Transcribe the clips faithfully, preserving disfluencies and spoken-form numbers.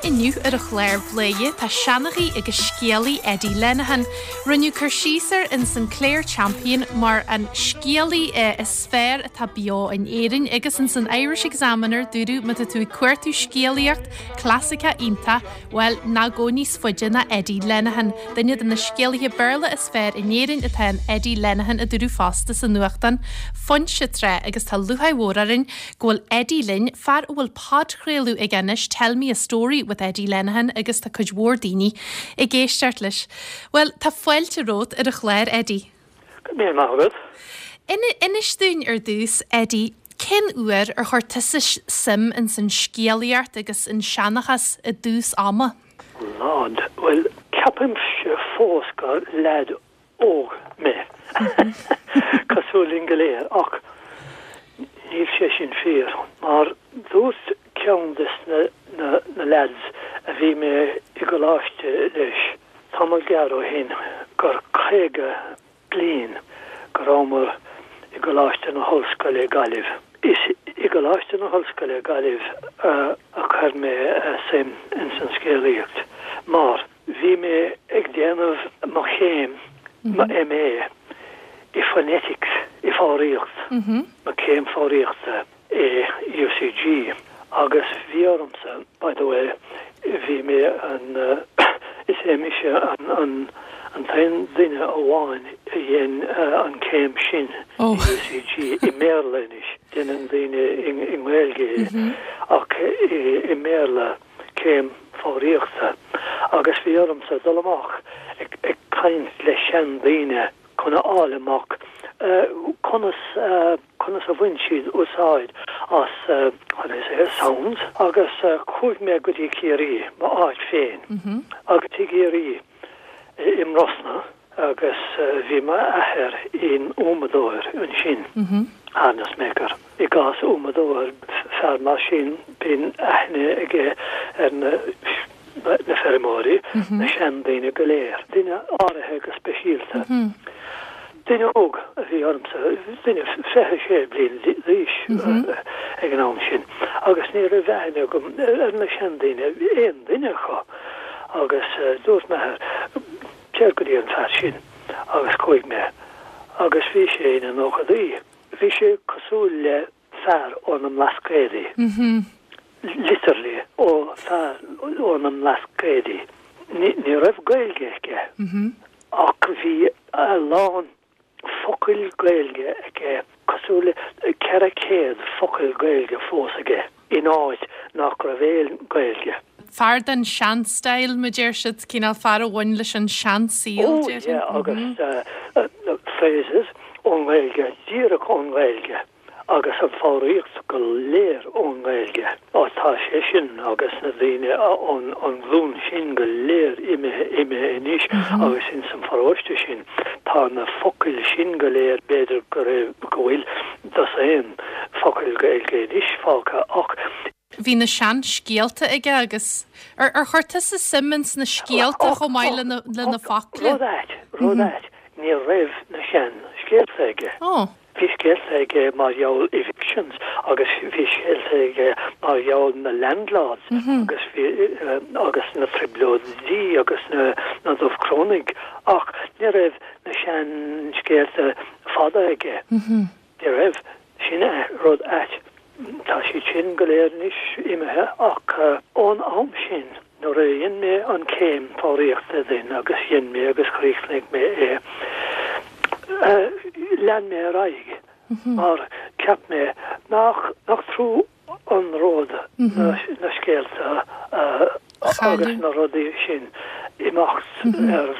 inniu ar an chlár Bladhaire tá seanchaí agus scéalaí Eddie Lenihan. Rinneadh cur síos air in san Clare Champion mar an scéalaí is fearr atá beo in Éirinn agus in san Irish Examiner dúradh má tá tú ag cuartú scéalaíocht clasaiceach iontach, well ná gabh níos faide ná Eddie Lenihan. Duine de na scéalaithe Béarla is fearr in Éirinn atá in Eddie Lenihan a dúradh fosta sa nuachtán Foinse tráth agus tá lúcháir mhór orainn go bhfuil Eddie linn fear a bhfuil podchraoladh aige anois Tell Me a Story with Eddie Lenihan agus tá cuid mhór daoine ag éisteacht leis. Well tá fáilte romhat ar an chlár Eddie. Go mé maith Inis dúinn ar dtús Eddie, cén uair ar chuir tusa suim in san scéalaíocht agus an seanchas i dtús ama? Lord, well ceapaimse fós gur leaid óg mé cosúil linn go léir ach níl sé sin fíor mar dúirt ceann de na, na, na lads a bhí mé i gcoláiste leis tamall gearr ó shin gur caoga bliain go rabhamar i gColáiste na hOllscoile Gaillimh. Is i gColáiste na hOllscoile Gaillimh uh, a chuir mé uh, suim in san scéalaíocht mar bhí mé ag déanamh mo chéim mo MA i phonetics i foghraíocht mo chéim foghraíochta i UCG agus bhí ormsa by the way bhí mé an uh, is é mise an an an t-aon duine amháin a dhein uh, an céim sin Oh. UCG i mBéarla anois déanann daoine i i nGaeilge ach i i mBéarla céim foghraíochta agus bhí ormsa dul amach ag ag caint le sean daoine chun a fháil amach uh, conas uh, conas a bhain siad úsáid as uh, how do you say, sounds agus uh, chuaigh mé go dtí Ciarraí mo áit féin agus i gCiarraí i mBrosna agus uh, bhí m'athair ina umadóir ansin harness maker. I gcás umadóir fear mar sin bíonn aithne aige ar na na feirmeoirí na seandaoine go léir. Duine áirithe go speisialta. Duine óg a bhí ormsa duine fiche sé bliain d'aois ag an am sin. agus ní raibh aithne agam ar na seandaoine aon duine acu agus uh, dúirt m'athair téir go dtí an fear sin agus chuaigh mé agus bhí sé ina nóchaidí. Bhí sé cosúil le fear ó na mBlascaodaí. Literally ó fear ó na mBlascaodaí. Ní ní raibh Gaeilge aige ach bhí a lán focail Gaeilge aige cosúil le ceithre chéad focail Gaeilge fós aige in áit nach raibh aon Gaeilge. Fear den sean-style mar deir siad cineál fear a bhain leis an seansaol Oh, yeah, agus uh, uh, phrases ón Ghaeilge, díreach ón Ghaeilge agus an foghraíocht go léir ón Ghaeilge. Ó tá sé sin agus na daoine ón an ghlúin sin go léir imithe imithe anois agus in san pharóiste sin tá na focail sin go léir b'fhéidir go raibh go bhfuil dosaen focail Gaeilge anois fágtha ach Bhí na sean scéalta aige agus ar ar chuir tusa suim ins na scéalta chomh maith le na le na focla. Rud ait, rud ait, ní raibh na sean scéalta aige. Ó, Bhí scéalta aige mar gheall evictions agus bhí scéalta aige mar gheall na landlords agus bhí uh, agus na trioblóidí agus na na Dubhchrónaigh ach ní raibh na sean scéalta fada aige. Ní raibh sin é rud ait. Tá siad sin go léir anois imithe ach uh, ón am sin nuair a dhein mé an céim foghraíochta din agus dhein mé agus chríochnaigh mé é. Uh, lean mé ar aghaidh mar cheap mé nach nach trua an rud na, na scéalta uh, agus Chailleadh. na rudaí sin imeacht ar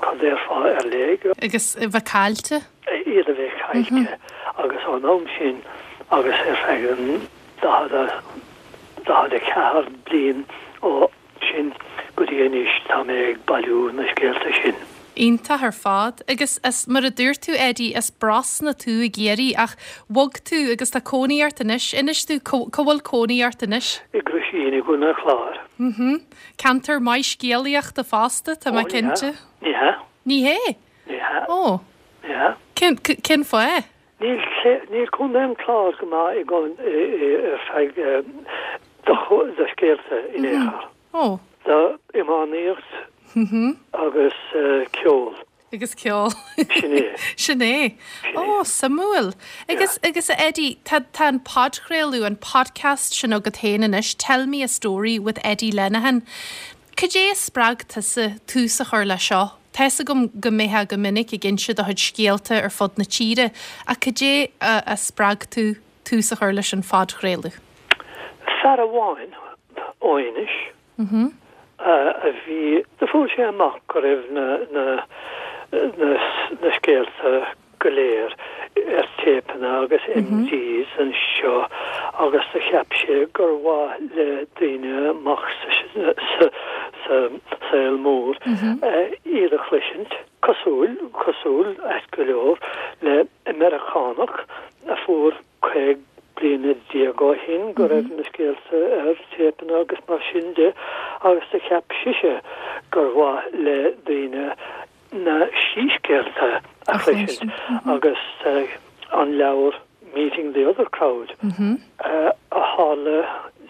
cad déarfá ar léig agus a bheith caillte. iad a bheith caillte agus ón am sin agus ar feadh an daichead daichead a ceathair bliain ó sin go dtí anois tá mé ag bailiú na scéalta sin. Iontach ar fad agus is mar a dúirt tú Eddie as Brosna tú i gCiarraí ach bhog tú agus tá cónaí ort anois inis dúinn cá bhfuil cónaí ort anois. I gCruisín i gContae an Chláir. Mhm. Ceantar maith scéalaíochta fosta tá mé Ó, cinnte. Ní hea Ní hé? ní hea Ó, ní hea. cén cén fáth? Níl níl Contae an Chláir go maith i gcon ar feadh do scéalta in aon chor. Ó. Do iománaíocht agus ceol. Agus ceol. Sin é. Sin é. Ó, suimiúil. Agus agus a Eddie, tá tá an podchraoladh an podcast sin agat féin anois, Tell Me a Story with Eddie Lenihan. Cad é a spreag tusa tús a chur le seo? Tá fhios agam go mbeifeá go minic ag inse do chuid scéalta ar fud na tíre, ach cad é a, a spreag tú tús a chur leis an phodchraoladh? Fear amháin ó Inis a bhí do fuair sé amach go raibh na na na na scéalta go léir ar téipeanna agus MDs anseo agus do cheap sé gur mhaith le daoine amach sa sa sa saol mór iad a chloisint cosúil cosúil ait go leor le Meiriceánach a fuair caoga bliana déag ó shin go raibh na scéalta ar téipeanna agus mar sin de agus do cheap sise gur mhaith le daoine na síscéalta a chloisint agus an leabhar Meeting the Other Crowd a tharla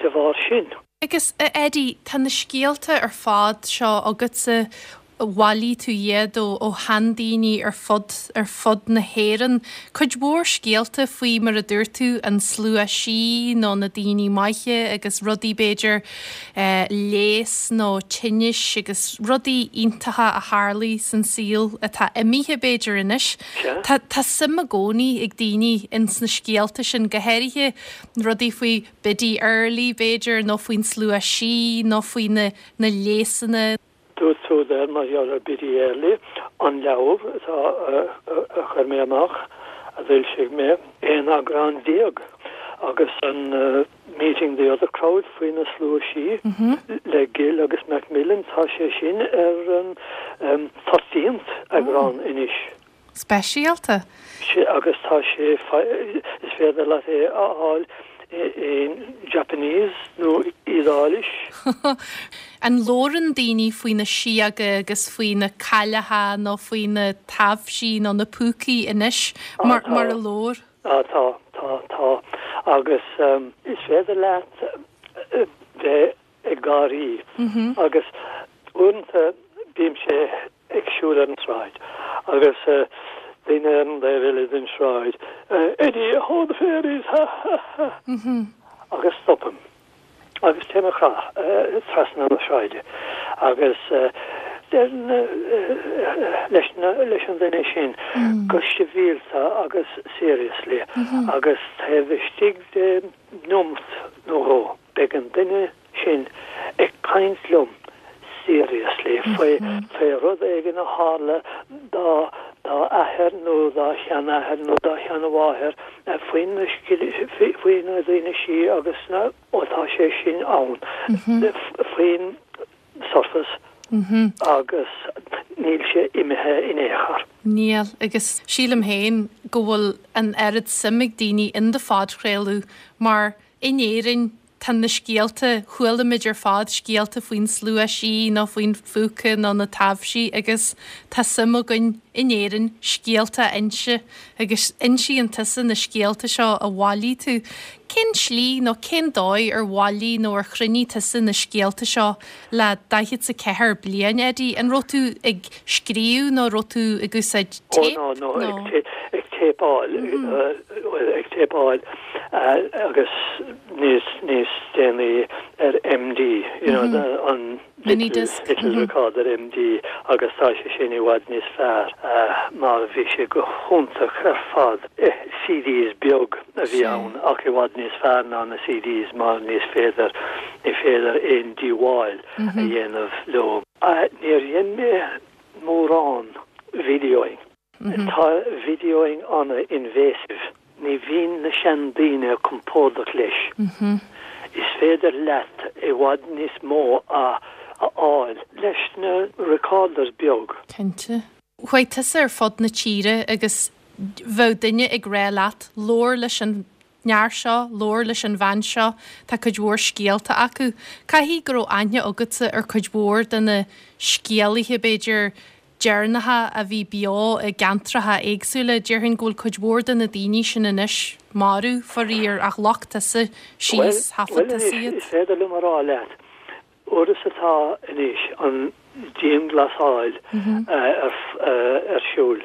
de bharr sin. Agus a Eddie, tá na scéalta ar fad seo agatsa bhailigh tú iad ó ó sheandaoine ar fud ar fud na hÉireann. Cuid mhór scéalta faoi mar a dúirt tú an slua sí nó na daoine maithe agus rudaí b'fhéidir eh, léas nó tinnis agus rudaí iontacha a tharlaigh san saol atá imithe b'fhéidir anois. Tá tá suim i gcónaí ag daoine ins na scéalta sin go háirithe rudaí faoi Biddy Early b'fhéidir nó faoin slua sí nó faoi na na léasanna. Dúirt tú there mar gheall ar Biddy Early an leabhar atá a chuir mé amach a d'fhoilsigh mé aon eagrán déag agus an uh, Meeting the Other Crowd faoi na slua sí le Gill agus Macmillan tá sé sin ar an um, thirteenth eagrán anois. Speisialta. sé agus tá sé is féidir leat é a fháil in Japanese nó Iodáilis. An labhrann daoine faoi na síoga agus faoi na cailleacha nó faoi na taibhsí nó na púcaí anois mar, mar a labhair. Á tá tá tá agus um, is féidir leat bheith ag gáirí agus uaireanta bímse ag siúl ar an sráid agus uh, daoine ar an taobh eile den sráid uh, Eddie ho the fairies ha ha ha agus stopaim agus téim uh, trasna na sráide agus uh, deirim uh, leis leis an duine sin go sibhialta agus seriously agus taobh istigh de nóiméad nó dhó beidh an duine sin ag caint liom seriously faoi faoi rud éigin a tharla dá dá athair nó dá sheanathair nó dá sheanmháthair faoi faoi na daoine sí agus na ó tá sé sin ann faoin surface agus níl sé imithe in aon chor. Níl agus sílim féin go bhfuil an oiread suim ag daoine in do phodchraoladh mar in Éirinn tá na scéalta chualamuid ar fad scéalta faoin slua sí nó faoin phúca nó na taibhsí agus tá suim againn in Éirinn scéalta a inse agus insíonn tusa na scéalta seo a bhailigh tú. Cén slí nó cén dóigh ar bhailigh nó ar chruinnigh tusa na scéalta seo le daichead a ceathair bliain Eddie an raibh tú ag scríobh nó raibh tú ag úsáid Ó no no ag ag téipeáil ag téipeáil agus níos níos déanaí ar MD you know the, an Minidisc. little mm -hmm. recorder MD agus tá sé sin i bhfad níos fearr uh, mar bhí sé go hiontach ar fad eh, CDs beag a bhí ann ach i bhfad níos fearr ná na CDs mar ní féidir ní féidir aon díobháil mm -hmm. a dhéanamh leo. Uh, Níor dhein mé mórán videoing. Mm -hmm. Tá videoing an-invasive. Ní bhíonn na seandaoine compordach leis. Mm -hmm. Is féidir leat i bhfad níos mó a a fháil leis na recorders beag. Cinnte. Chuaigh tusa ar fud na tíre agus bheadh duine ag rá leat labhair leis an fhear seo, labhair leis an bhean seo, tá cuid mhór scéalta acu. Caithfidh go raibh aithne agatsa ar cuid mhór de na scéalaithe b'fhéidir deireanacha a bhí beo i gceantracha éagsúla, déarfainn go bhfuil cuid mhór de na daoine sin anois marbh faraor ach ghlac tusa síos thaifead tusa iad. Is féidir liom a rá leat. Uair is atá anois an dianghlasáil ar ar siúl,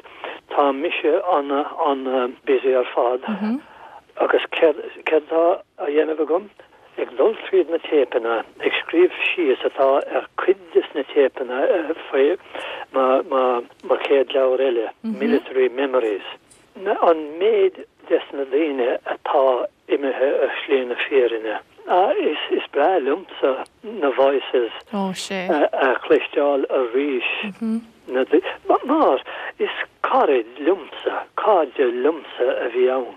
tá mise ana an-busy ar fad agus céard céard atá á dhéanamh agam? Ag dul tríd na téipeanna, ag scríobh síos atá ar cuid des na téipeanna faoi mo mo mo chéad leabhar eile, Military Memories. An méid des na daoine atá imithe ar shlí na fírinne. Is is breá liomsa na voices a chloisteáil arís. Na mar is caraid liomsa, cairde liomsa a bhí ann.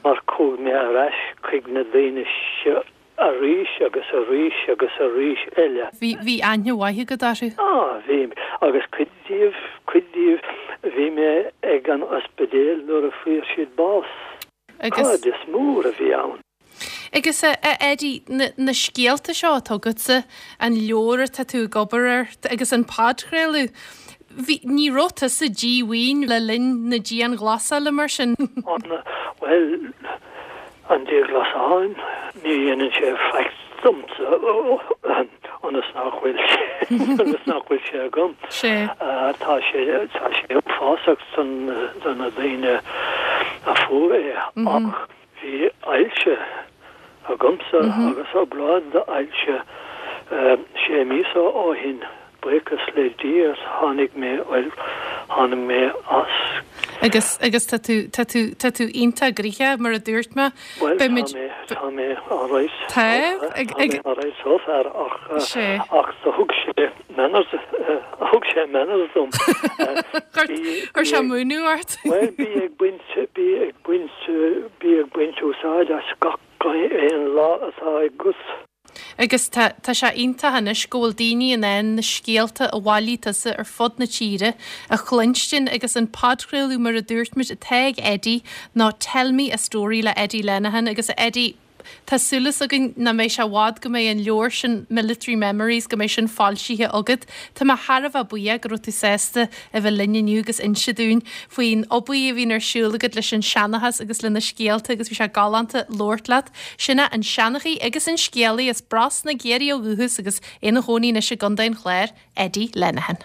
Mar chuaigh mé ar ais chuig na daoine seo arís agus arís agus arís eile. Bhí bhí aithne mhaith agat orthu? Á, bhí, agus cuid díobh, cuid díobh, bhí mé ag an ospidéal nuair a fuair siad bás. Agus. Cairdeas mór a bhí ann. Agus a Eddie, na na scéalta seo atá agatsa, an leabhar atá tú ag obair air agus an podchraoladh, bhí, ní raibh tusa díomhaoin le linn na dianghlasála mar sin? An, bhuel, an dianghlasáil, ní dhéanann sé faic domsa ionas nach bhfuil sé, ionas nach bhfuil sé agam. Sea. Tá sé, tá sé uafásach don, do na daoine a fuair é ach bhí ailse agamsa agus obráid d'ailse sé míosa ó shin. Buíochas le Dia tháinig mé, bhuel, tháinig mé as. Agus, agus tá tú, tá tú, tá tú iontach gnoitheach, mar a dúirt mé. Bhuel, tá mé, tá mé alright. Tá? Ag, ag. Tá mé alright so far ach, Sea. ach do thug sé manners, thug sé manners dom. Chuir sé múineadh ort? Bhuel, bí ag baint, bí ag baint, bí ag baint úsáid as gach aon lá atá agat. Agus tá, tá sé iontach anois go bhfuil daoine in ann na scéalta a bhailigh tusa ar fud na tíre a chluinstin agus an podchraoladh mar a dúirt muid atá ag Eddie ná Tell Me a Story le Eddie Lenihan agus a Eddie, tá súil againn nach mbeidh sé i bhfad go mbeidh an leabhar sin Military Memories go mbeidh sin foilsithe agat. Tá mé thar a bheith buíoch go raibh tú sásta a bheith linn inniu agus inse dúinn faoin obair a bhíonn ar siúl agat leis an seanchas agus le na scéalta agus bhí sé galánta labhairt leat. Sin é an seanchaí agus an scéalaí as Brosna i gCiarraí ó dhúchas agus ina chónaí anois i gContae an Chláir, Eddie Lenihan.